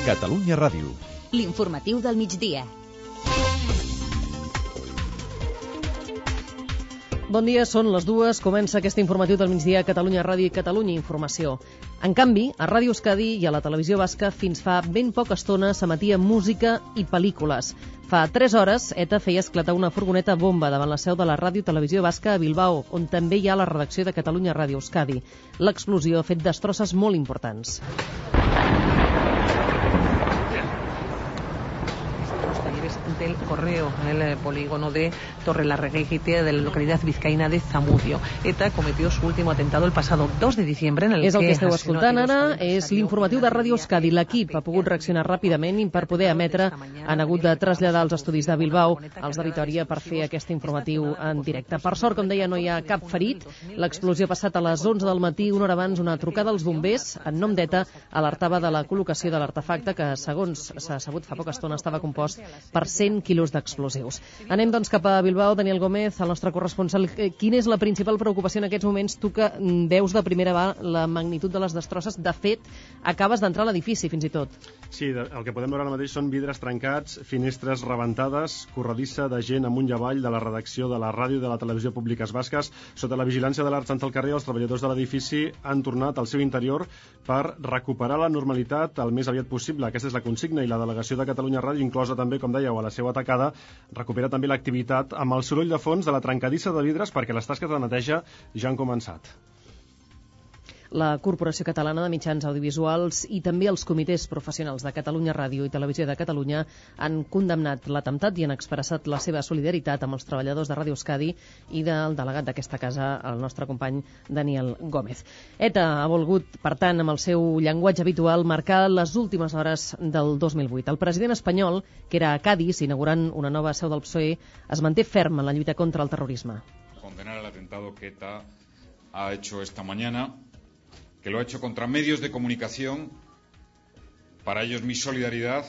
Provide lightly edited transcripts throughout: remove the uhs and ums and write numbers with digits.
Catalunya Ràdio. L'informatiu del migdia. Bon dia, són les 2. Comença aquest informatiu del migdia a Catalunya Ràdio i Catalunya Informació. En canvi, a Ràdio Euskadi i a la televisió basca fins fa ben poca estona s'emetia música i pel·lícules. Fa 3 hores, ETA feia esclatar una furgoneta bomba davant la seu de la Ràdio Televisió Basca a Bilbao, on també hi ha la redacció de Catalunya Ràdio Euskadi. L'explosió ha fet destrosses molt importants. Del correo en el polígono de Torrelarregueite de la localidad vizcaína de Zamudio. ETA cometió su último atentado el pasado 2 de diciembre en el És el que que esteu escoltant ara, és l'informatiu de Ràdio Euskadi. L'equip ha pogut reaccionar ràpidament i per poder emetre han hagut de traslladar els estudis de Bilbao als de Vitòria per fer aquest informatiu en directe. Per sort, com deia, no hi ha cap ferit. L'explosió ha passat a les 11 del matí, una hora abans. Una trucada als bombers en nom d'ETA alertava de la col·locació de l'artefacte que, segons s'ha sabut fa poca estona, estava compost per 100 quilos d'explosius. Anem, doncs, cap a Bilbao. Daniel Gómez, el nostre corresponsal. Quina és la principal preocupació en aquests moments? Tu que veus de primera mà la magnitud de les destrosses. De fet, acabes d'entrar a l'edifici, fins i tot. Sí, el que podem veure ara mateix són vidres trencats, finestres rebentades, corredissa de gent amunt i avall de la redacció de la ràdio i de la televisió públiques basques. Sota la vigilància de l'Arts al carrer, els treballadors de l'edifici han tornat al seu interior per recuperar la normalitat el més aviat possible. Aquesta és la consigna, i la delegació de Catalunya Ràdio, inclosa també, com dèieu, a la seva atacada, recupera també l'activitat amb el soroll de fons de la trencadissa de vidres perquè les tasques de neteja ja han començat. La Corporació Catalana de Mitjans Audiovisuals i també els comitès professionals de Catalunya Ràdio i Televisió de Catalunya han condemnat l'atemptat i han expressat la seva solidaritat amb els treballadors de Ràdio Euskadi i del delegat d'aquesta casa, el nostre company Daniel Gómez. ETA ha volgut, per tant, amb el seu llenguatge habitual, marcar les últimes hores del 2008. El president espanyol, que era a Cádiz, inaugurant una nova seu del PSOE, es manté ferm en la lluita contra el terrorisme. Condenar el atentado que ETA ha hecho esta mañana, que lo ha hecho contra medios de comunicación. Para ellos mi solidaridad,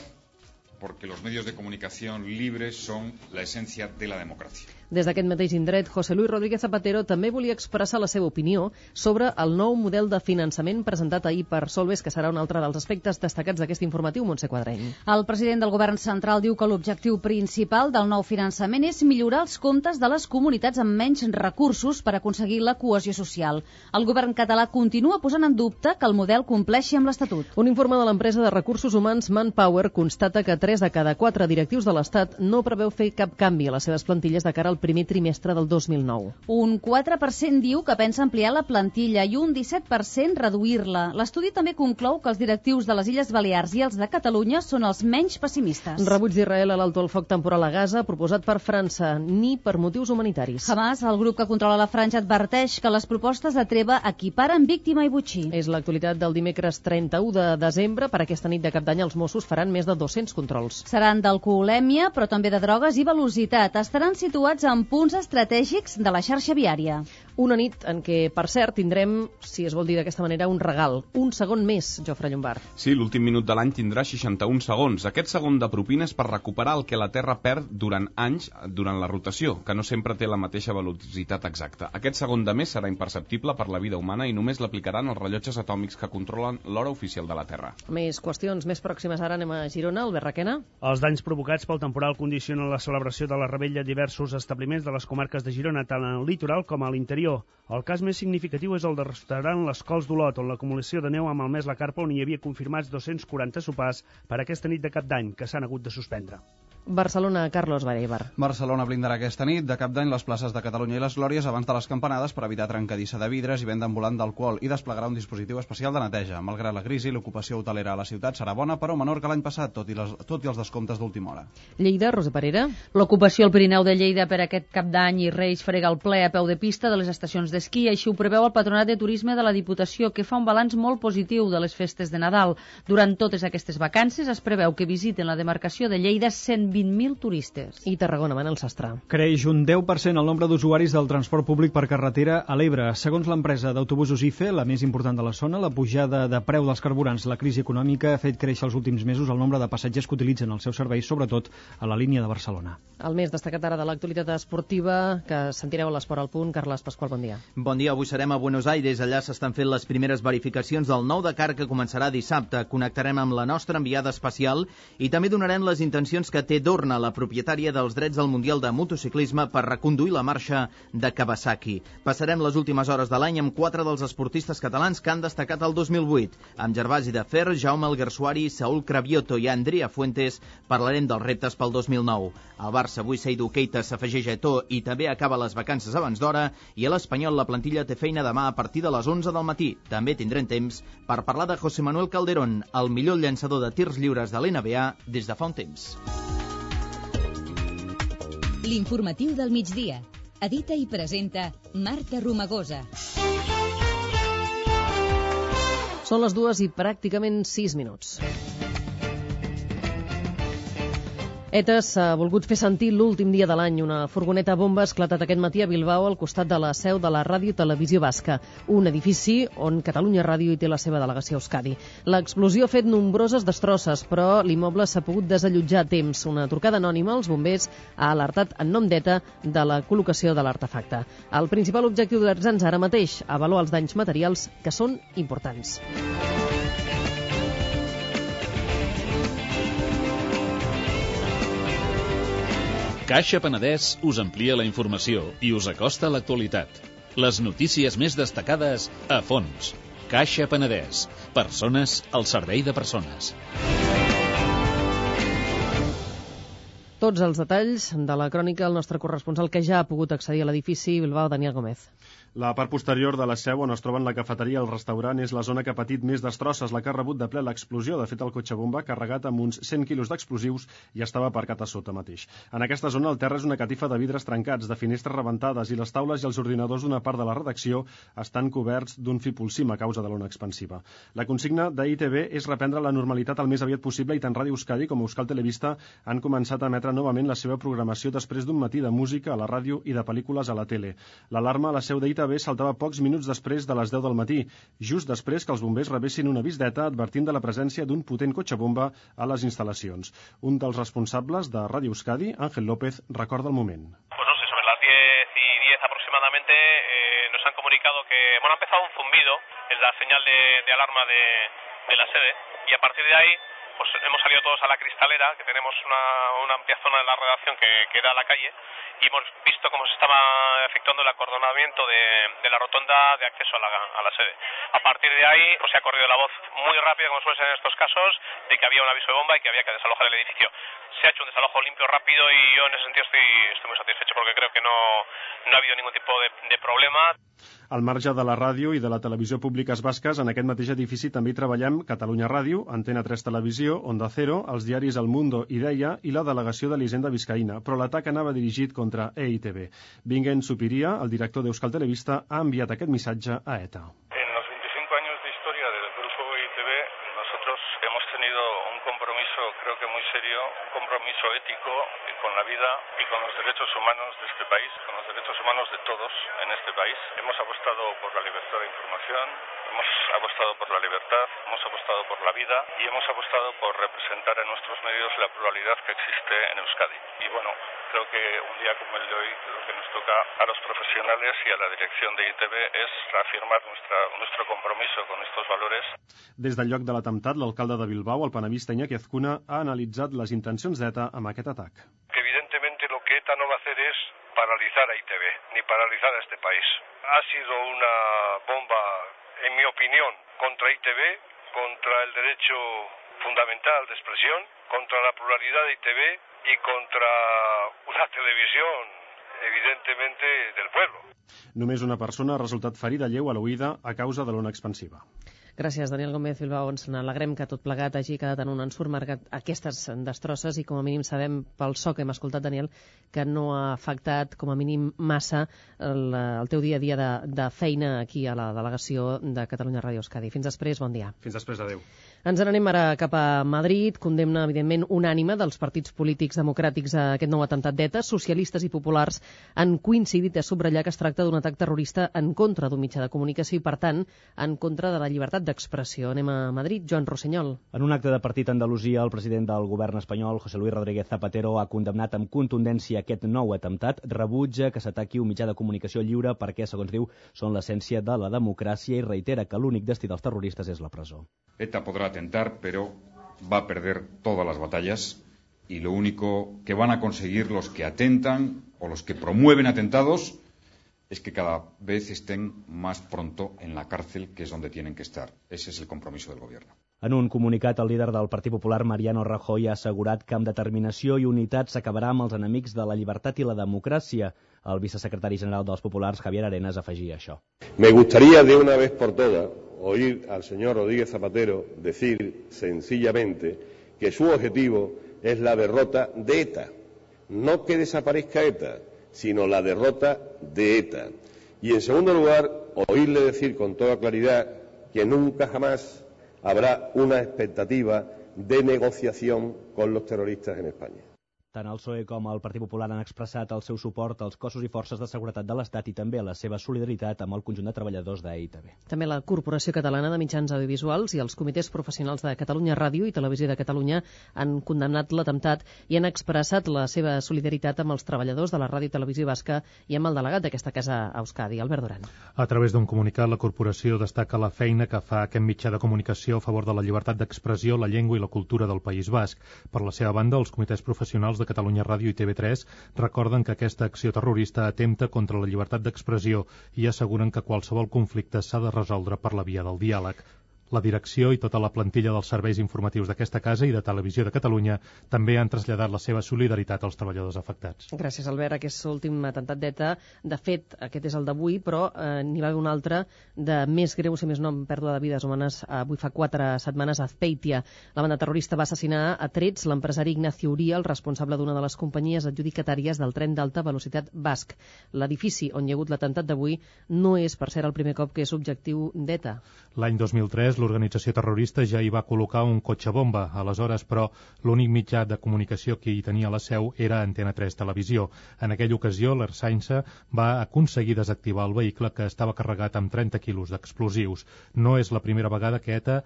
porque los medios de comunicación libres son la esencia de la democracia. Des d'aquest mateix indret, José Luis Rodríguez Zapatero també volia expressar la seva opinió sobre el nou model de finançament presentat ahir per Solbes, que serà un altre dels aspectes destacats d'aquest informatiu. Montse Quadreny. El president del govern central diu que l'objectiu principal del nou finançament és millorar els comptes de les comunitats amb menys recursos per aconseguir la cohesió social. El govern català continua posant en dubte que el model compleixi amb l'Estatut. Un informe de l'empresa de recursos humans Manpower constata que 3 de cada 4 directius de l'Estat no preveu fer cap canvi a les seves plantilles de cara al primer trimestre del 2009. Un 4% diu que pensa ampliar la plantilla i un 17% reduir-la. L'estudi també conclou que els directius de les Illes Balears i els de Catalunya són els menys pessimistes. Rebuig d'Israel a l'alto al foc temporal a Gaza, proposat per França, ni per motius humanitaris. Hamas, el grup que controla la franja, adverteix que les propostes de treva equiparen víctima i botxí. És l'actualitat del dimecres 31 de desembre. Per aquesta nit de Cap d'Any els Mossos faran més de 200 controls. Seran d'alcoholèmia, però també de drogues i velocitat. Estaran situats en punts estratègics de la xarxa viària. Una nit en què, per cert, tindrem, si es vol dir d'aquesta manera, un regal. Un segon més, Jofre Llombard. Sí, l'últim minut de l'any tindrà 61 segons. Aquest segon de propina és per recuperar el que la Terra perd durant anys durant la rotació, que no sempre té la mateixa velocitat exacta. Aquest segon de més serà imperceptible per la vida humana i només l'aplicaran els rellotges atòmics que controlen l'hora oficial de la Terra. Més qüestions més pròximes. Ara anem a Girona. Albert Requena. Els danys provocats pel temporal condicionen la celebració de la rebella a diversos establiments de les comarques de Girona, tant al litoral com a l'interior. El cas més significatiu és el de restaurant Les Cols d'Olot, on l'acumulació de neu ha malmès la carpa, on hi havia confirmats 240 sopars per aquesta nit de Cap d'Any, que s'han hagut de suspendre. Barcelona, Carlos Bareibar. Barcelona blindarà aquesta nit de Cap d'Any les places de Catalunya i les Glòries abans de les campanades per evitar trencadissa de vidres i venda ambulant d'alcohol i desplegarà un dispositiu especial de neteja. Malgrat la crisi, l'ocupació hotelera a la ciutat serà bona, però menor que l'any passat, tot i els descomptes d'última hora. Lleida, Roser Parera. L'ocupació al Pirineu de Lleida per aquest Cap d'Any i Reis frega el ple a peu de pista de les estacions d'esquí. Així ho preveu el Patronat de Turisme de la Diputació, que fa un balanç molt positiu de les festes de Nadal. Durant totes aquestes vacances es preveu que visiten la demarcació de Lleida 120 20.000 turistes. I Tarragona, Manel Sastre. Creix un 10% el nombre d'usuaris del transport públic per carretera a l'Ebre. Segons l'empresa d'autobusos IFE, la més important de la zona, la pujada de preu dels carburants, la crisi econòmica, ha fet créixer els últims mesos el nombre de passatgers que utilitzen els seus serveis, sobretot a la línia de Barcelona. El més destacat ara de l'actualitat esportiva, que sentireu a l'Esport al Punt. Carles Pasqual, bon dia. Bon dia, avui serem a Buenos Aires. Allà s'estan fent les primeres verificacions del nou Dakar, que començarà dissabte. Connectarem amb la nostra enviada especial i també donarem les intencions que té Dorna, la propietària dels drets del Mundial de Motociclisme, per reconduir la marxa de Kawasaki. Passarem les últimes hores de l'any amb 4 dels esportistes catalans que han destacat el 2008. Amb Gervasi de Fer, Jaume Alguersuari, Saúl Cravioto i Andrea Fuentes parlarem dels reptes pel 2009. El Barça avui Seydou Keita s'afegeix a Eto'o i també acaba les vacances abans d'hora, i a l'Espanyol la plantilla té feina demà a partir de les 11 del matí. També tindrem temps per parlar de José Manuel Calderón, el millor llançador de tirs lliures de l'NBA des de fa un temps. L'informatiu del migdia. Edita i presenta Marta Romagosa. Són les 2 i pràcticament 6 minuts. ETA s'ha volgut fer sentir l'últim dia de l'any. Una furgoneta bomba ha esclatat aquest matí a Bilbao al costat de la seu de la Ràdio i Televisió Basca, un edifici on Catalunya Ràdio hi té la seva delegació a Euskadi. L'explosió ha fet nombroses destrosses, però l'immoble s'ha pogut desallotjar a temps. Una trucada anònima als bombers ha alertat en nom d'ETA de la col·locació de l'artefacte. El principal objectiu d'Erzans ara mateix, avaluar els danys materials, que són importants. Caixa Penedès us amplia la informació i us acosta a l'actualitat. Les notícies més destacades a fons. Caixa Penedès. Persones al servei de persones. Tots els detalls de la crònica, el nostre corresponsal que ja ha pogut accedir a l'edifici, Bilbao, Daniel Gómez. La part posterior de la seu, on es troben la cafeteria i el restaurant, és la zona que ha patit més destrosses, la que ha rebut de ple l'explosió. De fet, el cotxe bomba, carregat amb uns 100 quilos d'explosius, ja estava aparcat a sota mateix. En aquesta zona, el terra és una catifa de vidres trencats, de finestres rebentades, i les taules i els ordinadors d'una part de la redacció estan coberts d'un fipolsim a causa de l'ona expansiva. La consigna d'ITV és reprendre la normalitat el més aviat possible, i tant Ràdio Euskadi com Euskal Telebista han començat a emetre novament la seva programació després d'un matí de música a la ràdio i de pel·lícules a la tele. L'alarma a la seu d'ITV saltava pocs minuts després de les 10 del matí, just després que els bombers rebessin un avís d'ETA advertint de la presència d'un potent cotxe bomba a les instal·lacions. Un dels responsables de Ràdio Euskadi, Ángel López, recorda el moment. Pues no sé, sobre las 10:10 aproximadamente nos han comunicado que ha empezado un zumbido en la señal de alarma de la sede, y a partir de ahí pues hemos salido todos a la cristalera, que tenemos una amplia zona de la redacción que da a la calle, y hemos visto cómo se estaba efectuando el acordonamiento de la rotonda de acceso a la sede. A partir de ahí pues se ha corrido la voz muy rápida, como suele ser en estos casos, de que había un aviso de bomba y que había que desalojar el edificio. Se ha hecho un desalojo limpio, rápido, y yo en ese sentido estoy muy satisfecho, porque creo que no ha habido ningún tipo de problema. Al marge de la ràdio i de la televisió públiques basques, en aquest mateix edifici també hi treballem Catalunya Ràdio, Antena 3 Televisió, Onda Cero, els diaris El Mundo i Deia i la delegació de l'Hisenda Vizcaïna, però l'atac anava dirigit contra EITB. Vinguent Supiria, el director d'Euskal Televista, ha enviat aquest missatge a ETA. En los 25 años de historia del grupo EITB, nosotros hemos tenido un compromiso, creo que muy serio, un compromiso ético con la vida y con los derechos humanos de este país, con los derechos humanos de todos en este país. Hemos apostado por la libertad de información, hemos apostado por la libertad, hemos apostado por la vida y hemos apostado por representar en nuestros medios la pluralidad que existe en Euskadi. Y bueno, creo que un día como el de hoy lo que nos toca a los profesionales y a la dirección de ITV es reafirmar nuestro compromiso con estos valores. Des del lloc de l'atemptat, l'alcalde de Bilbao, el panamista Iñaki Azcuna, ha analitzat les intencions d'ETA amb aquest atac. Que evidentemente lo que ETA no va a hacer es paralizar a ITV, ni paralizar a este país. Ha sido una bomba, en mi opinión, contra ITV, contra el derecho fundamental de expresión, contra la pluralidad de ITV y contra una televisión, evidentemente, del pueblo. Només una persona ha resultat ferida lleu a l'oïda a causa de l'ona expansiva. Gràcies, Daniel Gómez Bilbao. Ens n'alegrem que tot plegat hagi quedat en un ensurt marcat aquestes destrosses i com a mínim sabem pel so que hem escoltat, Daniel, que no ha afectat com a mínim massa el teu dia a dia de feina aquí a la delegació de Catalunya Ràdio Euskadi. Fins després, bon dia. Fins després, adeu. Ens n'anem ara cap a Madrid. Condemna, evidentment, unànime dels partits polítics democràtics a aquest nou atemptat d'ETA. Socialistes i populars han coincidit a subratllar que es tracta d'un atac terrorista en contra d'un mitjà de comunicació i, per tant, en contra de la llibertat d'expressió. Anem a Madrid. Joan Rossinyol. En un acte de partit a Andalusia, el president del govern espanyol, José Luis Rodríguez Zapatero, ha condemnat amb contundència aquest nou atemptat. Rebutja que s'ataqui un mitjà de comunicació lliure perquè, segons diu, són l'essència de la democràcia i reitera que l'únic destí dels terroristes és la presó. ETA podrá atentar, pero va a perder todas las batallas y lo único que van a conseguir los que atentan o los que promueven atentados es que cada vez estén más pronto en la cárcel, que es donde tienen que estar. Ese es el compromiso del gobierno. En un comunicat, el líder del Partit Popular, Mariano Rajoy, ha assegurat que amb determinació i unitat s'acabarà amb els enemics de la llibertat i la democràcia. El vicesecretari general dels Populars, Javier Arenas, afegia això. Me gustaría de una vez por todas oír al señor Rodríguez Zapatero decir sencillamente que su objetivo es la derrota de ETA. No que desaparezca ETA, sino la derrota de ETA. Y en segundo lugar, oírle decir con toda claridad que nunca jamás habrá una expectativa de negociación con los terroristas en España. Tant el PSOE com el Partit Popular han expressat el seu suport als cossos i forces de seguretat de l'Estat i també la seva solidaritat amb el conjunt de treballadors d'EITB. També la Corporació Catalana de Mitjans Audiovisuals i els comitès professionals de Catalunya Ràdio i Televisió de Catalunya han condemnat l'atemptat i han expressat la seva solidaritat amb els treballadors de la Ràdio i Televisió Basca i amb el delegat d'aquesta casa a Euskadi, Albert Duran. A través d'un comunicat, la corporació destaca la feina que fa aquest mitjà de comunicació a favor de la llibertat d'expressió, la llengua i la cultura del País Basc. Per la seva banda, els comitès professionals de Catalunya Ràdio i TV3 recorden que aquesta acció terrorista atempta contra la llibertat d'expressió i asseguren que qualsevol conflicte s'ha de resoldre per la via del diàleg. La direcció i tota la plantilla dels serveis informatius d'aquesta casa i de Televisió de Catalunya també han traslladat la seva solidaritat als treballadors afectats. Gràcies, Albert. Aquest últim atemptat d'ETA, de fet, aquest és el d'avui, però n'hi va haver un altre de més greu, si més no, amb pèrdua de vides humanes, avui fa 4 setmanes a Azpeitia. La banda terrorista va assassinar a trets l'empresari Ignacio Uría, el responsable d'una de les companyies adjudicatàries del tren d'alta velocitat basc. L'edifici on hi ha hagut l'atemptat d'avui no és, per cert, el primer cop que és objectiu d'ETA. L'any 2003, l'organització terrorista ja hi va col·locar un cotxe bomba. Aleshores, però, l'únic mitjà de comunicació que hi tenia la seu era Antena 3 Televisió. En aquella ocasió, l'Ersainsa va aconseguir desactivar el vehicle que estava carregat amb 30 quilos d'explosius. No és la primera vegada que ETA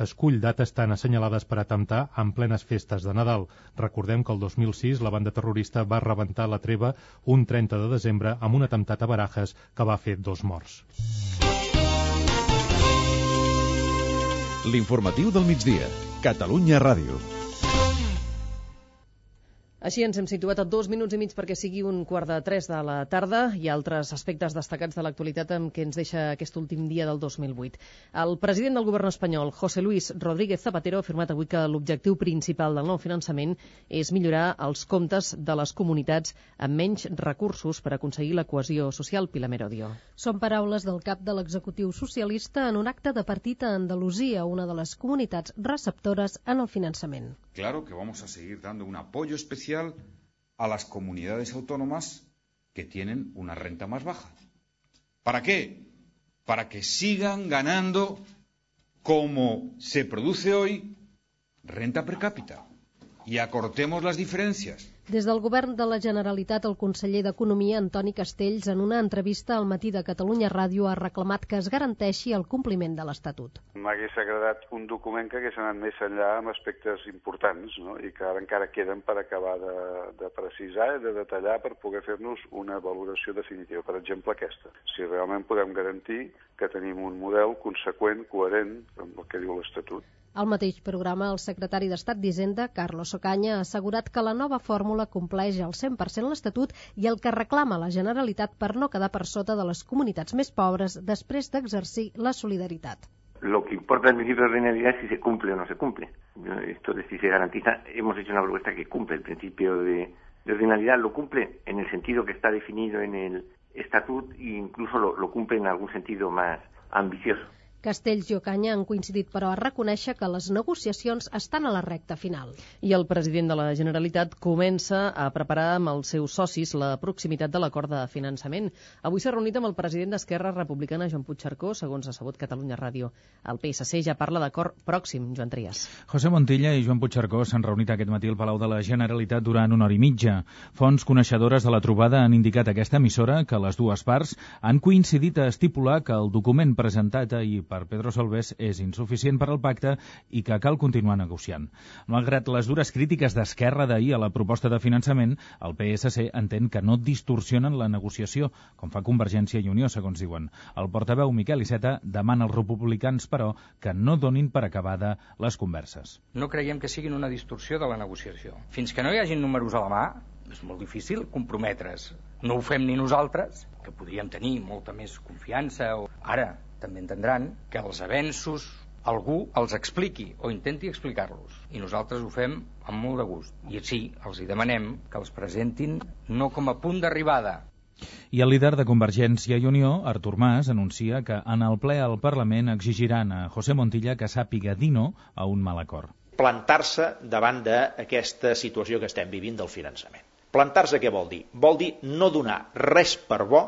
escull dates tan assenyalades per atemptar en plenes festes de Nadal. Recordem que el 2006 la banda terrorista va rebentar la treva un 30 de desembre amb un atemptat a Barajas que va fer 2 morts. L'informatiu del migdia. Catalunya Ràdio. Així ens hem situat a 2 minuts i mig perquè sigui 2:45 de la tarda i altres aspectes destacats de l'actualitat amb què ens deixa aquest últim dia del 2008. El president del govern espanyol, José Luis Rodríguez Zapatero, ha afirmat avui que l'objectiu principal del nou finançament és millorar els comptes de les comunitats amb menys recursos per aconseguir la cohesió social. Pilar Merodio. Són paraules del cap de l'executiu socialista en un acte de partit a Andalusia, una de les comunitats receptores en el finançament. Claro que vamos a seguir dando un apoyo especial a las comunidades autónomas que tienen una renta más baja. ¿Para qué? Para que sigan ganando, como se produce hoy, renta per cápita y acortemos las diferencias. Des del govern de la Generalitat, el conseller d'Economia, Antoni Castells, en una entrevista al Matí de Catalunya Ràdio, ha reclamat que es garanteixi el compliment de l'Estatut. M'hagués agradat un document que hagués anat més enllà amb aspectes importants, no? I que ara encara queden per acabar de precisar i de detallar per poder fer-nos una valoració definitiva. Per exemple, aquesta. Si realment podem garantir que tenim un model conseqüent, coherent amb el que diu l'Estatut. Al mateix programa, el secretari d'Estat d'Hisenda, Carlos Ocaña, ha assegurat que la nova fórmula compleix al 100% l'Estatut i el que reclama la Generalitat per no quedar per sota de les comunitats més pobres després d'exercir la solidaritat. Lo que importa el principio de ordinariedad es si se cumple o no se cumple. Esto de si se garantiza, hemos hecho una propuesta que cumple el principio de ordinariedad, lo cumple en el sentido que está definido en el Estatut e incluso lo cumple en algún sentido más ambicioso. Castells i Ocaña han coincidit, però, a reconèixer que les negociacions estan a la recta final. I el president de la Generalitat comença a preparar amb els seus socis la proximitat de l'acord de finançament. Avui s'ha reunit amb el president d'Esquerra Republicana, Joan Puigcercó, segons ha sabut Catalunya Ràdio. El PSC ja parla d'acord pròxim, Joan Trias. José Montilla i Joan Puigcercó s'han reunit aquest matí al Palau de la Generalitat durant una hora i mitja. Fonts coneixedores de la trobada han indicat a aquesta emissora que les dues parts han coincidit a estipular que el document presentat ahir per Pedro Solbes és insuficient per al pacte i que cal continuar negociant. Malgrat les dures crítiques d'Esquerra d'ahir a la proposta de finançament, el PSC entén que no distorsionen la negociació, com fa Convergència i Unió, segons diuen. El portaveu Miquel Iceta demana als republicans, però, que no donin per acabada les converses. No creiem que siguin una distorsió de la negociació. Fins que no hi hagin números a la mà, és molt difícil comprometre's. No ho fem ni nosaltres, que podríem tenir molta més confiança. Ara també entendran que els avenços algú els expliqui o intenti explicar-los. I nosaltres ho fem amb molt de gust. I sí, els hi demanem que els presentin no com a punt d'arribada. I el líder de Convergència i Unió, Artur Mas, anuncia que en el ple al Parlament exigiran a José Montilla que sàpiga dir no a un mal acord. Plantar-se davant d'aquesta situació que estem vivint del finançament. Plantar-se què vol dir? Vol dir no donar res per bo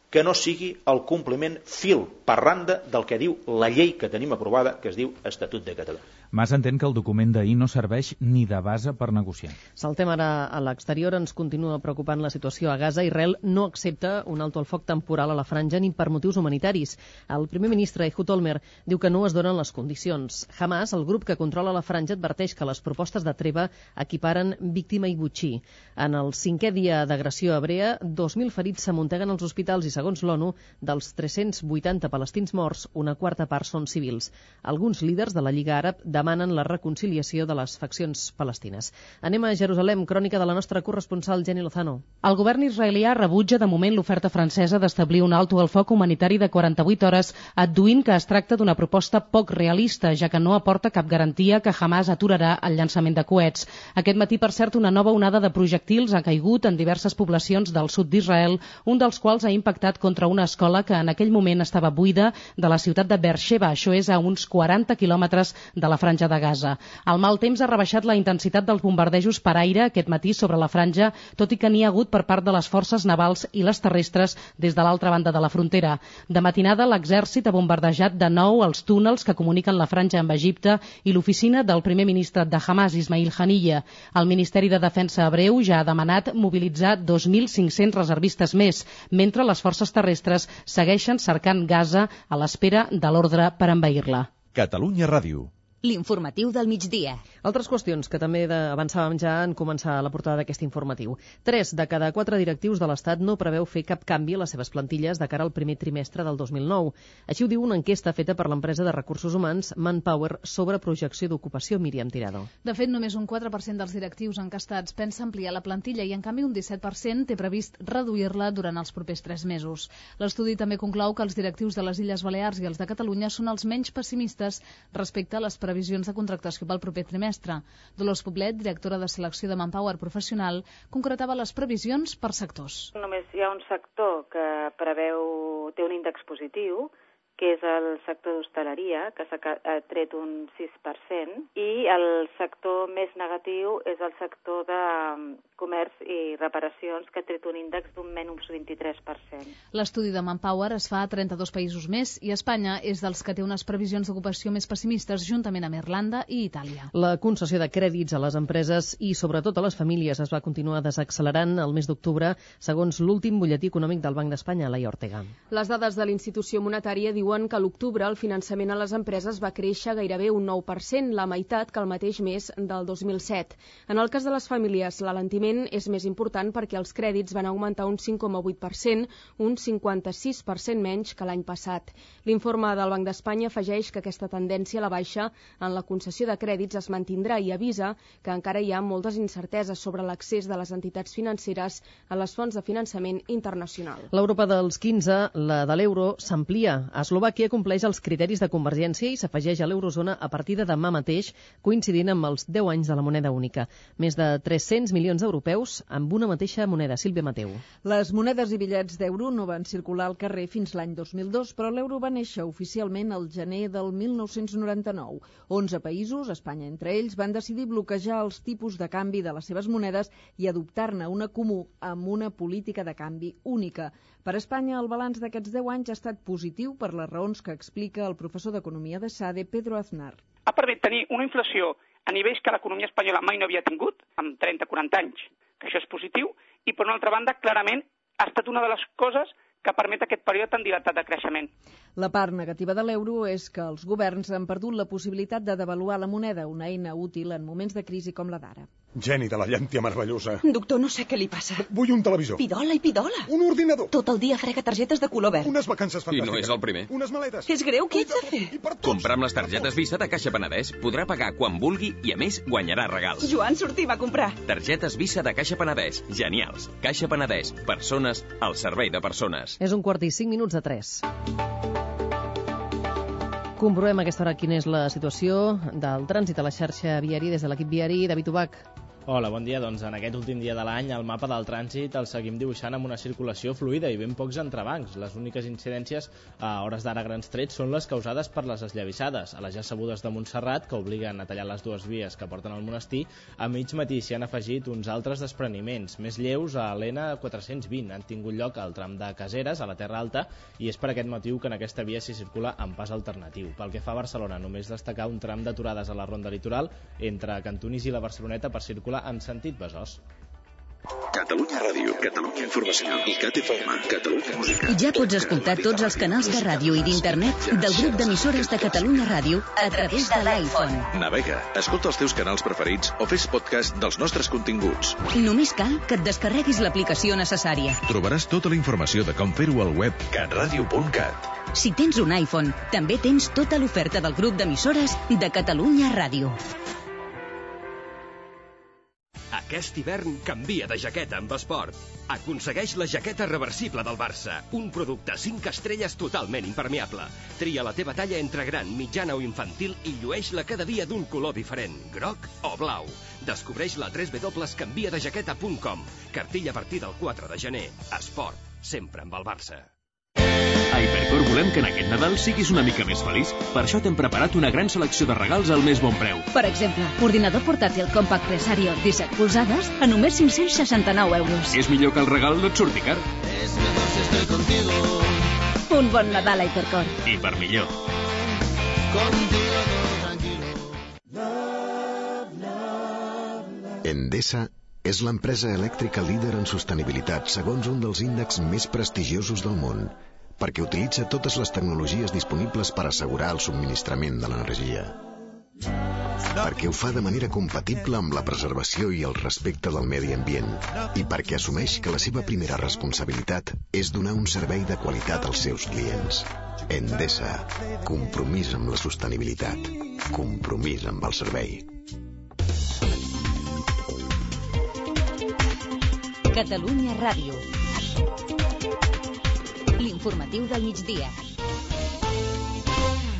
que no sigui el compliment fil per randa del que diu la llei que tenim aprovada, que es diu Estatut de Catalunya. Mas entén que el document d'ahir no serveix ni de base per negociar. Saltem ara a l'exterior. Ens continua preocupant la situació a Gaza. Israel no accepta un alto al foc temporal a la franja ni per motius humanitaris. El primer ministre Ehud Olmert diu que no es donen les condicions. Hamas, el grup que controla la franja, adverteix que les propostes de treva equiparen víctima i botxí. En el 5è dia d'agressió hebrea, 2.000 ferits s'amunteguen als hospitals i, segons l'ONU, dels 380 palestins morts, una quarta part són civils. Alguns líders de la Lliga Àrab demanen la reconciliació de les faccions palestines. Anem a Jerusalem, crònica de la nostra corresponsal Jenny Lozano. El govern israelià rebutja de moment l'oferta francesa d'establir un alto al foc humanitari de 48 hores, adduint que es tracta d'una proposta poc realista, ja que no aporta cap garantia que Hamas aturarà el llançament de coets. Aquest matí, per cert, una nova onada de projectils ha caigut en diverses poblacions del sud d'Israel, un dels quals ha impactat contra una escola que en aquell moment estava buida de la ciutat de Beersheba. Això és a uns 40 quilòmetres de la franja de Gaza. El mal temps ha rebaixat la intensitat dels bombardejos per aire aquest matí sobre la franja, tot i que n'hi ha hagut per part de les forces navals i les terrestres des de l'altra banda de la frontera. De matinada, l'exèrcit ha bombardejat de nou els túnels que comuniquen la franja amb Egipte i l'oficina del primer ministre de Hamas, Ismail Haniyeh. El Ministeri de Defensa hebreu ja ha demanat mobilitzar 2.500 reservistes més, mentre les forces terrestres segueixen cercant Gaza a l'espera de l'ordre per envair-la. Catalunya Ràdio. L'informatiu del migdia. Altres qüestions que també avançàvem ja en començar la portada d'aquest informatiu. 3 de cada 4 directius de l'Estat no preveu fer cap canvi a les seves plantilles de cara al primer trimestre del 2009. Així ho diu una enquesta feta per l'empresa de recursos humans Manpower sobre projecció d'ocupació. Míriam Tirado. De fet, només un 4% dels directius encastats pensa ampliar la plantilla i, en canvi, un 17% té previst reduir-la durant els propers 3 mesos. L'estudi també conclou que els directius de les Illes Balears i els de Catalunya són els menys pessimistes respecte a les previsions de contractació pel proper trimestre. Dolors Poblet, directora de selecció de Manpower Professional, concretava les previsions per sectors. Només hi ha un sector que té un índex positiu, que és el sector d'hostaleria, que s'ha tret un 6%, i el sector més negatiu és el sector de comerç i reparacions, que ha tret un índex d'un menys 23%. L'estudi de Manpower es fa a 32 països més i Espanya és dels que té unes previsions d'ocupació més pessimistes, juntament amb Irlanda i Itàlia. La concessió de crèdits a les empreses i sobretot a les famílies es va continuar desaccelerant el mes d'octubre, segons l'últim butlletí econòmic del Banc d'Espanya, Laia Ortega. Les dades de la institució monetària diuen que a l'octubre el finançament a les empreses va créixer gairebé un 9%, la meitat que el mateix mes del 2007. En el cas de les famílies, l'alentiment és més important perquè els crèdits van augmentar un 5,8%, un 56% menys que l'any passat. L'informe del Banc d'Espanya afegeix que aquesta tendència a la baixa en la concessió de crèdits es mantindrà i avisa que encara hi ha moltes incerteses sobre l'accés de les entitats financeres a les fonts de finançament internacional. L'Europa dels 15, la de l'euro, s'amplia. A Eslovàquia compleix els criteris de convergència i s'afegeix a l'eurozona a partir de demà mateix, coincidint amb els 10 anys de la moneda única. Més de 300 milions d'europeus amb una mateixa moneda. Sílvia Mateu. Les monedes i bitllets d'euro no van circular al carrer fins l'any 2002, però l'euro va néixer oficialment al gener del 1999. 11 països, Espanya entre ells, van decidir bloquejar els tipus de canvi de les seves monedes i adoptar-ne una comú amb una política de canvi única. Per Espanya, el balanç d'aquests 10 anys ha estat positiu per les raons que explica el professor d'Economia de SADE, Pedro Aznar. Ha permès tenir una inflació a nivells que l'economia espanyola mai no havia tingut, amb 30-40 anys, que això és positiu, i per una altra banda, clarament, ha estat una de les coses que permet aquest període tan dilatat de creixement. La part negativa de l'euro és que els governs han perdut la possibilitat de devaluar la moneda, una eina útil en moments de crisi com la d'ara. Geni de la llàntia meravellosa. Doctor, no sé què li passa. Vull un televisor. Pidola i pidola. Un ordinador. Tot el dia frega targetes de color verd. Unes vacances fantàstiques. I no és el primer. Unes maletes. És greu, què ets a fer? Comprar amb les targetes Visa de Caixa Penedès podrà pagar quan vulgui i, a més, guanyarà regals. Joan, sortim a comprar. Targetes Visa de Caixa Penedès. Genials. Caixa Penedès. Persones al servei de persones. És 2:45 Comprovem a aquesta hora quina és la situació del trànsit a la xarxa viària des de l'equip viari. David Ubach. Hola, bon dia. Doncs en aquest últim dia de l'any el mapa del trànsit el seguim dibuixant amb una circulació fluida i ben pocs entrebancs. Les úniques incidències a hores d'ara grans trets són les causades per les esllavissades a les ja sabudes de Montserrat, que obliguen a tallar les dues vies que porten al monestir. A mig matí s'hi han afegit uns altres despreniments. Més lleus a l'N420 han tingut lloc al tram de Caseres, a la Terra Alta, i és per aquest motiu que en aquesta via s'hi circula amb pas alternatiu. Pel que fa a Barcelona, només destacar un tram d'aturades a la Ronda Litoral entre Cantonís i la Barceloneta per circular en sentit Besòs. Catalunya Ràdio, Catalunya Informació i CatFM, Catalunya Música. Ja pots escoltar tots els canals de ràdio i d'internet del grup d'emissores de Catalunya Ràdio a través de l'iPhone. Navega, escolta els teus canals preferits o fes podcast dels nostres continguts. Només cal que et descarreguis l'aplicació necessària. Trobaràs tota la informació de com fer-ho al web catradio.cat. Si tens un iPhone, també tens tota l'oferta del grup d'emissores de Catalunya Ràdio. Aquest hivern canvia de jaqueta amb Esport. Aconsegueix la jaqueta reversible del Barça, un producte 5 estrelles totalment impermeable. Tria la teva talla entre gran, mitjana o infantil i llueix-la cada dia d'un color diferent, groc o blau. Descobreix-la a www.canviadejaqueta.com. Cartilla a partir del 4 de gener. Esport, sempre amb el Barça. A Hipercor volem que en aquest Nadal siguis una mica més feliç. Per això t'hem preparat una gran selecció de regals al més bon preu. Per exemple, ordinador portàtil Compact Presario 17 polzades a només 569 euros. És millor que el regal no et surti car. Un bon Nadal a Hipercor. I per millor. Endesa és l'empresa elèctrica líder en sostenibilitat segons un dels índexs més prestigiosos del món, perquè utilitza totes les tecnologies disponibles per assegurar el subministrament de l'energia. Perquè ho fa de manera compatible amb la preservació i el respecte del medi ambient i perquè assumeix que la seva primera responsabilitat és donar un servei de qualitat als seus clients. Endesa, compromís amb la sostenibilitat, compromís amb el servei. Catalunya Ràdio. L'informatiu del migdia.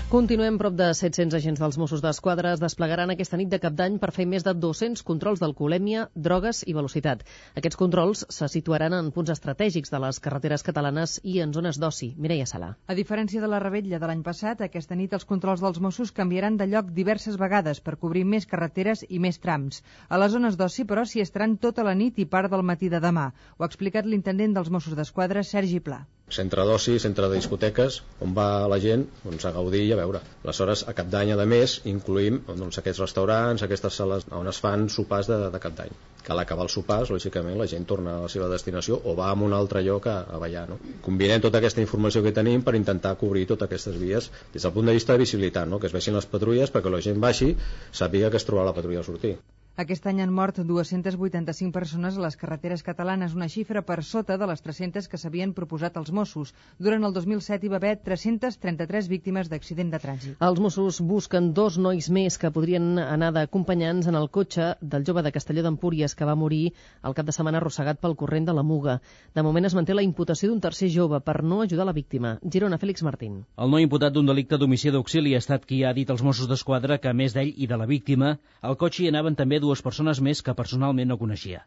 Continuem. Prop de 700 agents dels Mossos d'Esquadra es desplegaran aquesta nit de Cap d'Any per fer més de 200 controls d'alcoholèmia, drogues i velocitat. Aquests controls se situaran en punts estratègics de les carreteres catalanes i en zones d'oci. Mireia Sala. A diferència de la revetlla de l'any passat, aquesta nit els controls dels Mossos canviaran de lloc diverses vegades per cobrir més carreteres i més trams. A les zones d'oci, però, s'hi estaran tota la nit i part del matí de demà. Ho ha explicat l'intendent dels Mossos d'Esquadra, Sergi Pla. Centre d'oci, centre de discoteques, on va la gent a gaudir i a veure. Aleshores, a Cap d'Any, a més, incluïm aquests restaurants, aquestes sales on es fan sopars de Cap d'Any. Que a l'acabar els sopars, lògicament, la gent torna a la seva destinació o va a un altre lloc a ballar. No? Combinem tota aquesta informació que tenim per intentar cobrir totes aquestes vies des del punt de vista de visibilitat, no? Que es vegin les patrulles perquè la gent baixi, sàpiga que es trobarà la patrulla a sortir. Aquest any han mort 285 persones a les carreteres catalanes, una xifra per sota de les 300 que s'havien proposat els Mossos. Durant el 2007 hi va haver 333 víctimes d'accident de trànsit. Els Mossos busquen 2 nois més que podrien anar d'acompanyants en el cotxe del jove de Castelló d'Empúries que va morir el cap de setmana arrossegat pel corrent de la Muga. De moment es manté la imputació d'un tercer jove per no ajudar la víctima. Girona, Fèlix Martín. El noi imputat d'un delicte d'homici d'auxili ha estat qui ha dit als Mossos d'Esquadra que, a més d'ell i de la víctima, al cotxe hi anaven també 2 persones més que personalment no coneixia.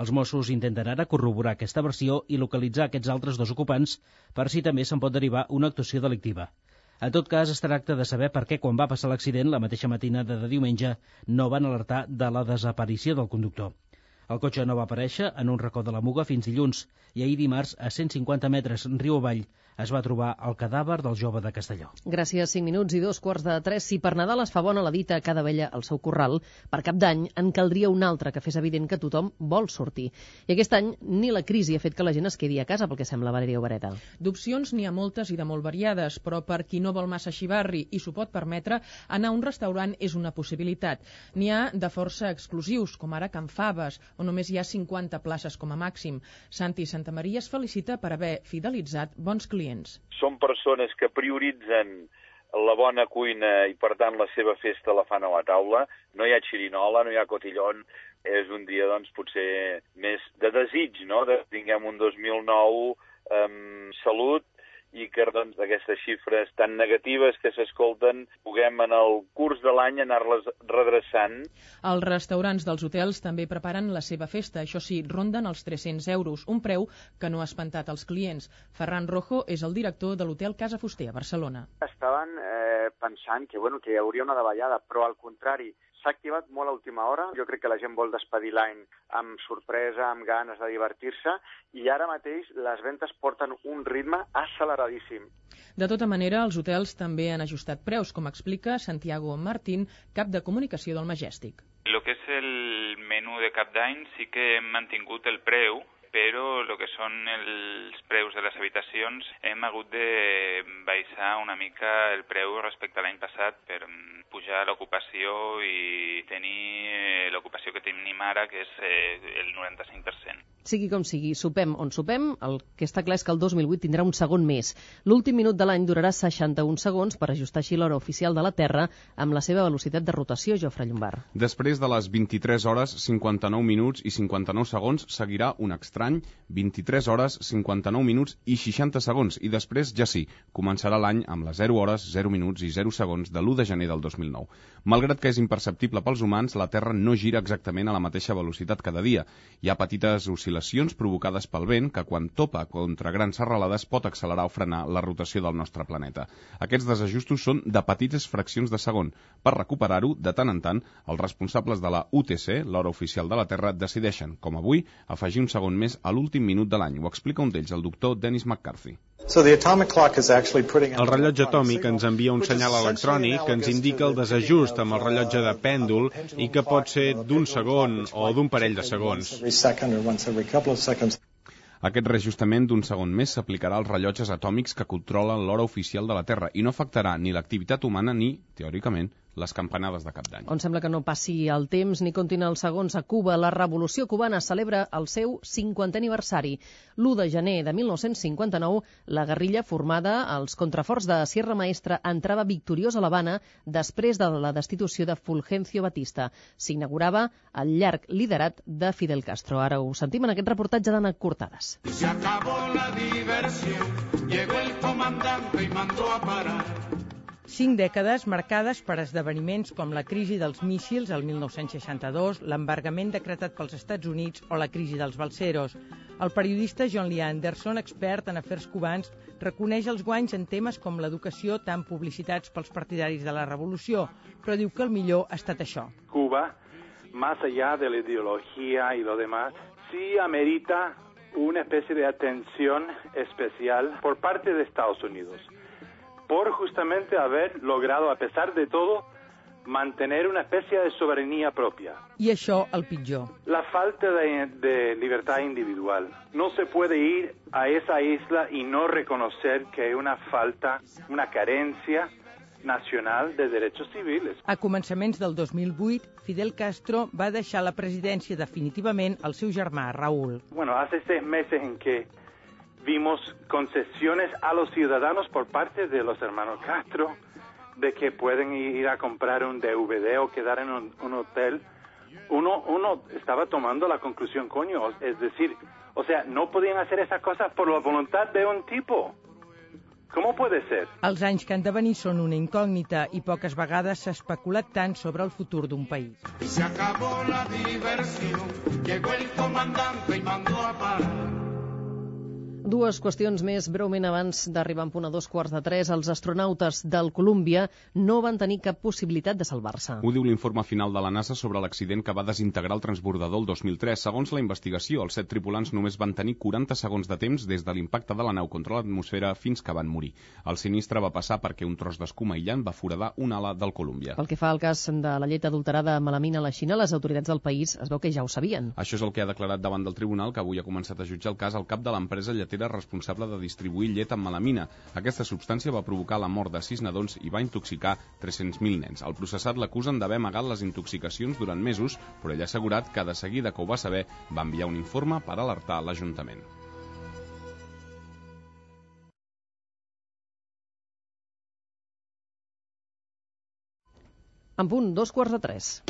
Els Mossos intenten ara corroborar aquesta versió i localitzar aquests altres 2 ocupants per si també se'n pot derivar una actuació delictiva. En tot cas, es tracta de saber per què quan va passar l'accident, la mateixa matinada de diumenge, no van alertar de la desaparició del conductor. El cotxe no va aparèixer en un racó de la Muga fins dilluns i ahir dimarts, a 150 metres riu avall, es va trobar el cadàver del jove de Castelló. Gràcies, 5 minuts i 2:45. Si per Nadal es fa bona la dita a cada abella al seu corral, per Cap d'Any en caldria un altre que fes evident que tothom vol sortir. I aquest any ni la crisi ha fet que la gent es quedi a casa, pel que sembla, Valeria Obereta. D'opcions n'hi ha moltes i de molt variades, però per qui no vol massa xivarri i s'ho pot permetre, anar a un restaurant és una possibilitat. N'hi ha de força exclusius, com ara Can Faves, on només hi ha 50 places com a màxim. Santi Santamaria es felicita per haver fidelitzat bons clients. Són persones que prioritzen la bona cuina i, per tant, la seva festa la fan a la taula. No hi ha xirinola, no hi ha cotillón. És un dia, doncs, potser més de desig, no?, de tinguem un 2009 amb salut i que, doncs, d'aquestes xifres tan negatives que s'escolten puguem en el curs de l'any anar-les redreçant. Els restaurants dels hotels també preparen la seva festa. Això sí, ronden els 300 euros, un preu que no ha espantat els clients. Ferran Rojo és el director de l'hotel Casa Fuster a Barcelona. Estaven pensant que hi hauria una davallada, però al contrari, s'ha activat molt a última hora. Jo crec que la gent vol despedir l'any amb sorpresa, amb ganes de divertir-se, i ara mateix les ventes porten un ritme acceleradíssim. De tota manera, els hotels també han ajustat preus, com explica Santiago Martín, cap de comunicació del Majestic. Lo que és el menú de Cap d'Any sí que hem mantingut el preu, però el que són els preus de les habitacions hem hagut de baixar una mica el preu respecte a l'any passat per pujar l'ocupació i tenir l'ocupació que tenim ara, que és el 95%. Sigui com sigui, sopem on sopem, el que està clar és que el 2008 tindrà un segon més. L'últim minut de l'any durarà 61 segons per ajustar així l'hora oficial de la Terra amb la seva velocitat de rotació, Jofre Llombard. Després de les 23 hores, 59 minuts i 59 segons, seguirà un estrany 23 hores, 59 minuts i 60 segons. I després, ja sí, començarà l'any amb les 0 hores, 0 minuts i 0 segons de l'1 de gener del 2009. Malgrat que és imperceptible pels humans, la Terra no gira exactament a la mateixa velocitat cada dia. Hi ha petites oscil·lacions provocades pel vent que, quan topa contra grans serralades, pot accelerar o frenar la rotació del nostre planeta. Aquests desajustos són de petites fraccions de segon. Per recuperar-ho, de tant en tant, els responsables de la UTC, l'hora oficial de la Terra, decideixen, com avui, afegir un segon més a l'últim minut de l'any. Ho explica un d'ells, el doctor Dennis McCarthy. El rellotge atòmic ens envia un senyal electrònic que ens indica el desajust amb el rellotge de pèndol i que pot ser d'un segon o d'un parell de segons. Aquest reajustament d'un segon més s'aplicarà als rellotges atòmics que controlen l'hora oficial de la Terra i no afectarà ni l'activitat humana ni, teòricament, les campanades de Cap d'Any. On sembla que no passi el temps ni comptin els segons a Cuba, la Revolució Cubana celebra el seu 50è aniversari. L'1 de gener de 1959, la guerrilla formada als contraforts de Sierra Maestra entrava victoriosa a l'Havana després de la destitució de Fulgencio Batista. S'inaugurava el llarg liderat de Fidel Castro. Ara ho sentim en aquest reportatge d'Anna Cortades. Se acabó la diversión, llegó el comandante y mandó a parar. 5 dècades marcades per esdeveniments com la crisi dels míssils el 1962, l'embargament decretat pels Estats Units o la crisi dels balseros. El periodista John Lee Anderson, expert en afers cubans, reconeix els guanys en temes com l'educació tan publicitats pels partidaris de la revolució, però diu que el millor ha estat això. Cuba, más allá de la ideología y lo demás, sí amerita una especie de atención especial por parte de Estados Unidos, por justamente haber logrado, a pesar de todo, mantener una especie de soberanía propia. I això el pitjor. La falta de libertad individual. No se puede ir a esa isla y no reconocer que hay una falta, una carencia Nacional de Derechos Civiles. A començaments del 2008, Fidel Castro va deixar la presidència definitivament al seu germà, Raúl. Bueno, hace 6 meses en que vimos concesiones a los ciudadanos por parte de los hermanos Castro, de que pueden ir a comprar un DVD o quedar en un hotel. Uno estaba tomando la conclusión, coño, es decir, o sea, no podían hacer esas cosas por la voluntad de un tipo. ¿Cómo puede ser? Els anys que han de venir són una incògnita i poques vegades s'ha especulat tant sobre el futur d'un país. Se acabó la diversión, llegó el comandante y mandó a parar. Dues qüestions més breument abans d'arribar en punt a 2:15. Els astronautes del Columbia no van tenir cap possibilitat de salvar-se. Ho diu l'informe final de la NASA sobre l'accident que va desintegrar el transbordador el 2003. Segons la investigació, els 7 tripulants només van tenir 40 segons de temps des de l'impacte de la nau contra l'atmosfera fins que van morir. El sinistre va passar perquè un tros d'escuma aïllant va foradar una ala del Columbia. Pel que fa al cas de la llet adulterada amb melamina a la Xina, les autoritats del país es veu que ja ho sabien. Això és el que ha declarat davant del tribunal, que avui ha començat a jutjar el cas al cap de l'empresa lletera responsable de distribuir llet amb melamina. Aquesta substància va provocar la mort de 6 nadons i va intoxicar 300.000 nens. El processat l'acusen d'haver amagat les intoxicacions durant mesos, però ell ha assegurat que de seguida que ho va saber va enviar un informe per alertar l'Ajuntament. En punt, 2:15.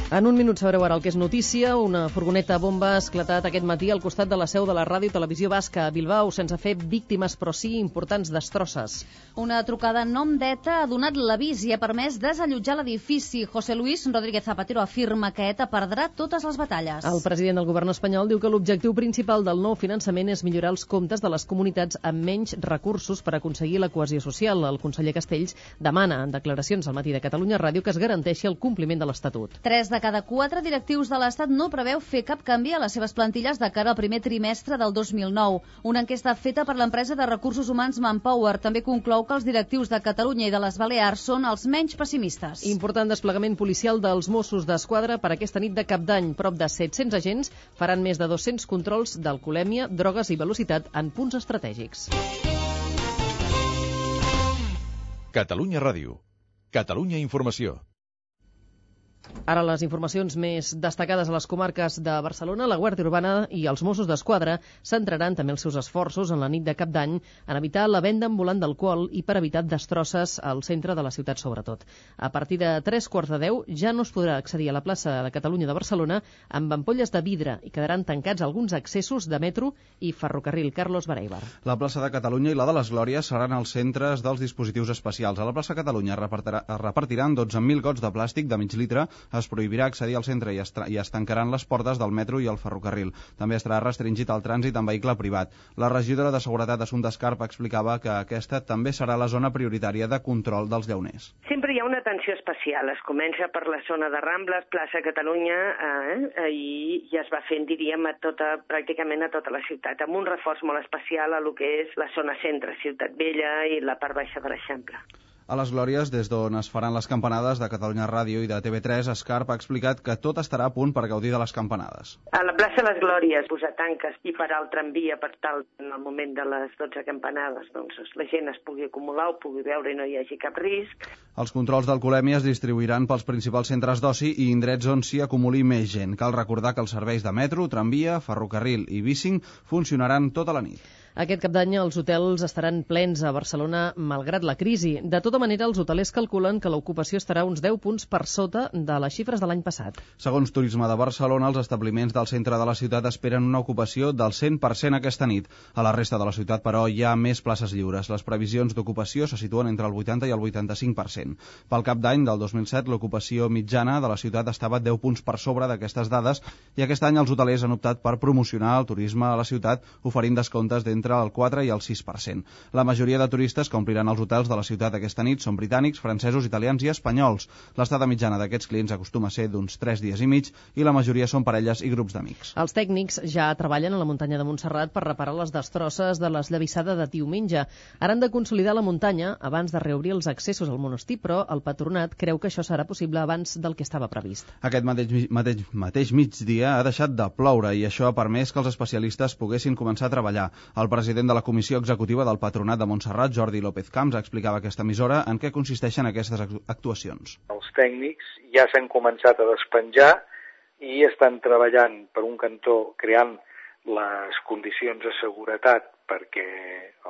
En un minut sabreu ara el que és notícia. Una furgoneta bomba ha esclatat aquest matí al costat de la seu de la Ràdio i Televisió Basca a Bilbao, sense fer víctimes, però sí importants destrosses. Una trucada en nom d'ETA ha donat l'avís i ha permès desallotjar l'edifici. José Luis Rodríguez Zapatero afirma que ETA perdrà totes les batalles. El president del govern espanyol diu que l'objectiu principal del nou finançament és millorar els comptes de les comunitats amb menys recursos per aconseguir la cohesió social. El conseller Castells demana en declaracions al matí de Catalunya Ràdio que es garanteixi el compliment de l'Estatut. 3 de cada 4 directius de l'Estat no preveu fer cap canvi a les seves plantilles de cara al primer trimestre del 2009. Una enquesta feta per l'empresa de recursos humans Manpower també conclou que els directius de Catalunya i de les Balears són els menys pessimistes. Important desplegament policial dels Mossos d'Esquadra per aquesta nit de Cap d'Any. Prop de 700 agents faran més de 200 controls d'alcoholèmia, drogues i velocitat en punts estratègics. Catalunya Ràdio. Catalunya Informació. Ara les informacions més destacades a les comarques de Barcelona. La Guàrdia Urbana i els Mossos d'Esquadra centraran també els seus esforços en la nit de Cap d'Any en evitar la venda ambulant d'alcohol i per evitar destrosses al centre de la ciutat sobretot. A partir de 3:15 ja no es podrà accedir a la plaça de Catalunya de Barcelona amb ampolles de vidre i quedaran tancats alguns accessos de metro i ferrocarril. Carlos Bareibar. La plaça de Catalunya i la de les Glòries seran els centres dels dispositius especials. A la plaça Catalunya es repartiran 12.000 gots de plàstic de mig litre. Es prohibirà accedir al centre i es tancaran les portes del metro i el ferrocarril. També estarà restringit el trànsit en vehicle privat. La regidora de Seguretat, Assumpta Escarp, explicava que aquesta també serà la zona prioritària de control dels llauners. Sempre hi ha una atenció especial. Es comença per la zona de Rambles, plaça Catalunya, i es va fent, diríem, pràcticament a tota la ciutat, amb un reforç molt especial a lo que és la zona centre, Ciutat Vella i la part baixa de l'Eixample. A les Glòries, des d'on es faran les campanades de Catalunya Ràdio i de TV3, Escarp ha explicat que tot estarà a punt per gaudir de les campanades. A la plaça Les Glòries, posar tanques i parar el tramvia per tal, en el moment de les 12 campanades, doncs la gent es pugui acumular, ho pugui veure i no hi hagi cap risc. Els controls d'alcoholèmia es distribuiran pels principals centres d'oci i indrets on s'hi acumuli més gent. Cal recordar que els serveis de metro, tramvia, ferrocarril i bicing funcionaran tota la nit. Aquest Cap d'Any els hotels estaran plens a Barcelona malgrat la crisi. De tota manera, els hotelers calculen que l'ocupació estarà uns 10 punts per sota de les xifres de l'any passat. Segons Turisme de Barcelona, els establiments del centre de la ciutat esperen una ocupació del 100% aquesta nit. A la resta de la ciutat, però, hi ha més places lliures. Les previsions d'ocupació se situen entre el 80 i el 85%. Pel Cap d'Any del 2007, l'ocupació mitjana de la ciutat estava 10 punts per sobre d'aquestes dades i aquest any els hotelers han optat per promocionar el turisme a la ciutat oferint descomptes d'entre el 4 i el 6%. La majoria de turistes que ompliran els hotels de la ciutat aquesta nit són britànics, francesos, italians i espanyols. L'estada mitjana d'aquests clients acostuma a ser d'uns 3 dies i mig i la majoria són parelles i grups d'amics. Els tècnics ja treballen a la muntanya de Montserrat per reparar les destrosses de l'esllavissada de diumenge. Ara han de consolidar la muntanya abans de reobrir els accessos al monestir, però el patronat creu que això serà possible abans del que estava previst. Aquest mateix migdia ha deixat de ploure i això ha permès que els especialistes poguessin començar a treballar. El El president de la Comissió Executiva del Patronat de Montserrat, Jordi López Camps, explicava a aquesta emissora en què consisteixen aquestes actuacions. Els tècnics ja s'han començat a despenjar i estan treballant, per un cantó, creant les condicions de seguretat perquè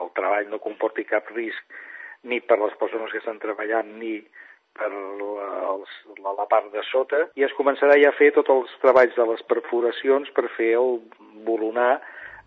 el treball no comporti cap risc ni per les persones que estan treballant ni per la part de sota, i es començarà ja a fer tots els treballs de les perforacions per fer bolonar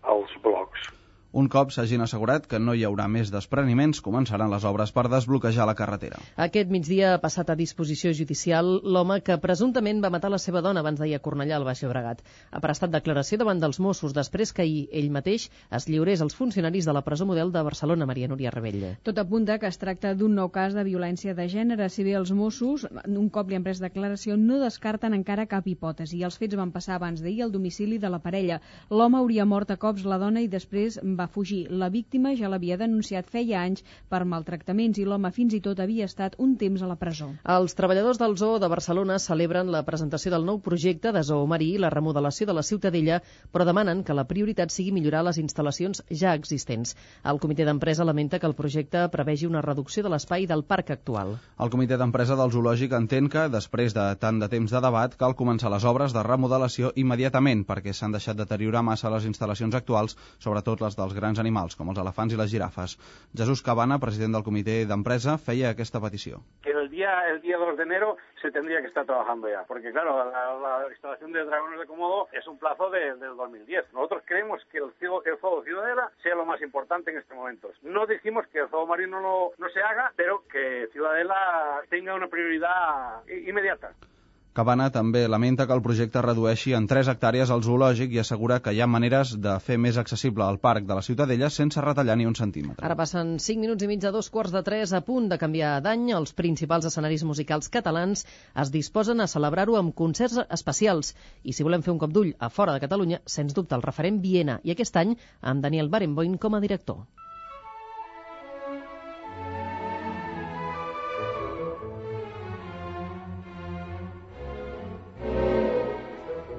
els blocs. Un cop s'hagin assegurat que no hi haurà més despreniments, començaran les obres per desbloquejar la carretera. Aquest migdia ha passat a disposició judicial l'home que presumptament va matar la seva dona abans d'ahir a Cornellà, al Baix Llobregat. Ha prestat declaració davant dels Mossos després que ahir ell mateix es lliurés als funcionaris de la presó model de Barcelona, Maria Núria Rebell. Tot apunta que es tracta d'un nou cas de violència de gènere. Si bé els Mossos, un cop li han pres declaració, no descarten encara cap hipòtesi. Els fets van passar abans d'ahir al domicili de la parella. L'home hauria mort a cops la dona i després va fugir. La víctima ja l'havia denunciat feia anys per maltractaments i l'home fins i tot havia estat un temps a la presó. Els treballadors del Zoo de Barcelona celebren la presentació del nou projecte de Zoo Marí i la remodelació de la Ciutadella, però demanen que la prioritat sigui millorar les instal·lacions ja existents. El comitè d'empresa lamenta que el projecte prevegi una reducció de l'espai del parc actual. El comitè d'empresa del zoològic entén que, després de tant de temps de debat, cal començar les obres de remodelació immediatament perquè s'han deixat deteriorar massa les instal·lacions actuals, sobretot les dels grans animals, com els elefants i les girafes. Jesús Cabana, president del comitè d'empresa, feia aquesta petició. Que el día 2 de enero se tendría que estar trabajando ya, porque claro, la instalación de dragones de Komodo es un plazo del 2010. Nosotros creemos que el Zoo Ciudadela sea lo más importante en estos momentos. No decimos que el Zoo Marino no se haga, pero que Ciudadela tenga una prioridad inmediata. Cabana també lamenta que el projecte redueixi en 3 hectàrees el zoològic i assegura que hi ha maneres de fer més accessible el parc de la Ciutadella sense retallar ni un centímetre. Ara passen 5 minuts i mig de 2:45, a punt de canviar d'any. Els principals escenaris musicals catalans es disposen a celebrar-ho amb concerts especials. I si volem fer un cop d'ull a fora de Catalunya, sens dubte el referent Viena, i aquest any amb Daniel Barenboim com a director.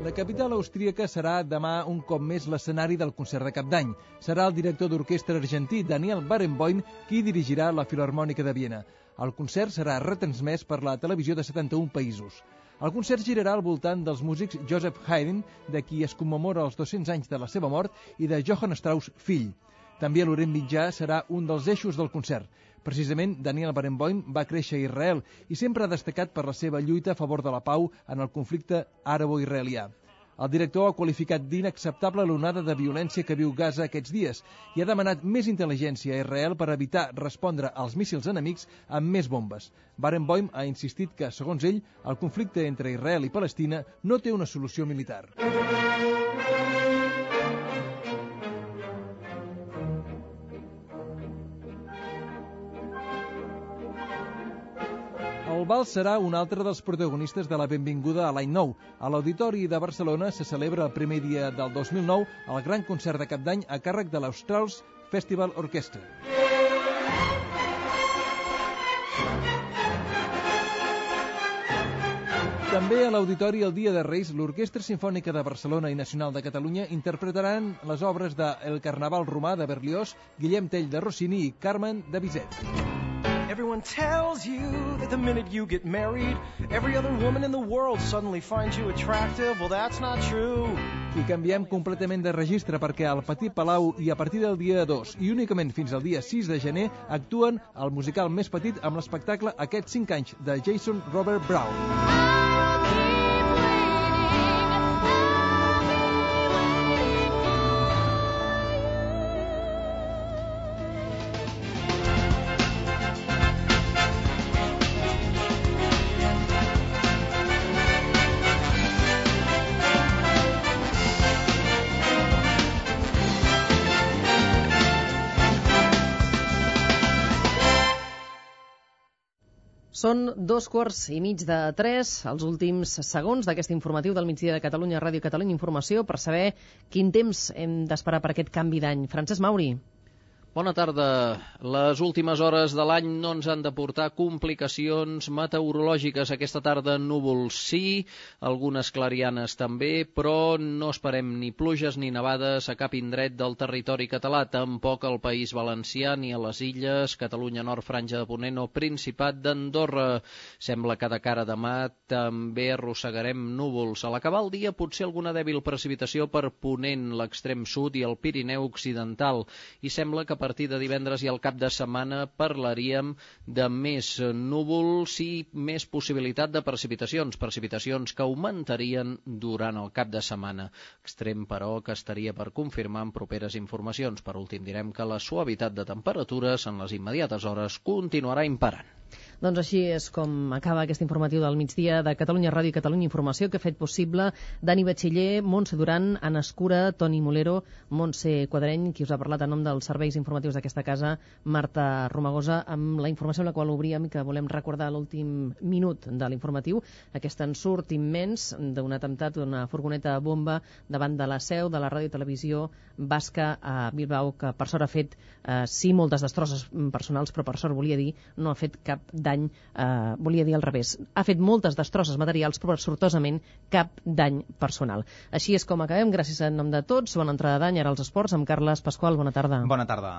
La capital austríaca serà demà un cop més l'escenari del concert de Cap d'Any. Serà el director d'orquestra argentí Daniel Barenboim qui dirigirà la Filharmònica de Viena. El concert serà retransmès per la televisió de 71 països. El concert girarà al voltant dels músics Joseph Haydn, de qui es commemora els 200 anys de la seva mort, i de Johann Strauss, fill. També l'Orient Mitjà serà un dels eixos del concert. Precisament, Daniel Barenboim va créixer a Israel i sempre ha destacat per la seva lluita a favor de la pau en el conflicte àrabo-israelià. El director ha qualificat d'inacceptable l'onada de violència que viu Gaza aquests dies i ha demanat més intel·ligència a Israel per evitar respondre als míssils enemics amb més bombes. Barenboim ha insistit que, segons ell, el conflicte entre Israel i Palestina no té una solució militar. El vals serà un altre dels protagonistes de la benvinguda a l'any nou. A l'Auditori de Barcelona se celebra el primer dia del 2009 el gran concert de Cap d'Any a càrrec de l'Australs Festival Orchestra. També a l'Auditori el dia de Reis, l'Orquestra Simfònica de Barcelona i Nacional de Catalunya interpretaran les obres de El Carnaval Romà de Berlioz, Guillem Tell de Rossini i Carmen de Bizet. Everyone tells you that the minute you get married, every other woman in the world suddenly finds you attractive. Well, that's not true. I canviem completament de registre perquè al Petit Palau i a partir del dia 2 i únicament fins al dia 6 de gener actuen el musical més petit amb l'espectacle Aquests 5 anys de Jason Robert Brown. Són 2:15, els últims segons d'aquest informatiu del migdia de Catalunya Ràdio, Catalunya Informació, per saber quin temps hem d'esperar per aquest canvi d'any. Francesc Mauri. Bona tarda. Les últimes hores de l'any no ens han de portar complicacions meteorològiques. Aquesta tarda núvols sí, algunes clarianes també, però no esperem ni pluges ni nevades a cap indret del territori català, tampoc al País Valencià ni a les Illes, Catalunya Nord, Franja de Ponent o Principat d'Andorra. Sembla que de cara a demà també arrossegarem núvols. A l'acabar el dia potser alguna dèbil precipitació per Ponent, l'extrem sud i el Pirineu Occidental. I sembla que a partir de divendres i al cap de setmana parlaríem de més núvols i més possibilitat de precipitacions que augmentarien durant el cap de setmana. Extrem, però, que estaria per confirmar en properes informacions. Per últim, direm que la suavitat de temperatures en les immediates hores continuarà imperant. Doncs així és com acaba aquest informatiu del migdia de Catalunya Ràdio i Catalunya Informació, que ha fet possible Dani Batxiller, Montse Duran, Anna Escura, Toni Molero, Montse Quadreny, qui us ha parlat en nom dels serveis informatius d'aquesta casa, Marta Romagosa, amb la informació amb la qual obríem i que volem recordar l'últim minut de l'informatiu, aquest ensurt immens d'un atemptat d'una furgoneta bomba davant de la seu de la Ràdio i Televisió Basca a Bilbao, que per sort ha fet sí moltes destrosses personals, però per sort volia dir no ha fet cap dany, volia dir al revés, ha fet moltes destrosses materials però sortosament cap dany personal. Així és com acabem, gràcies en nom de tots. Bona entrada d'any, ara als esports amb Carles Pasqual. Bona tarda. Bona tarda.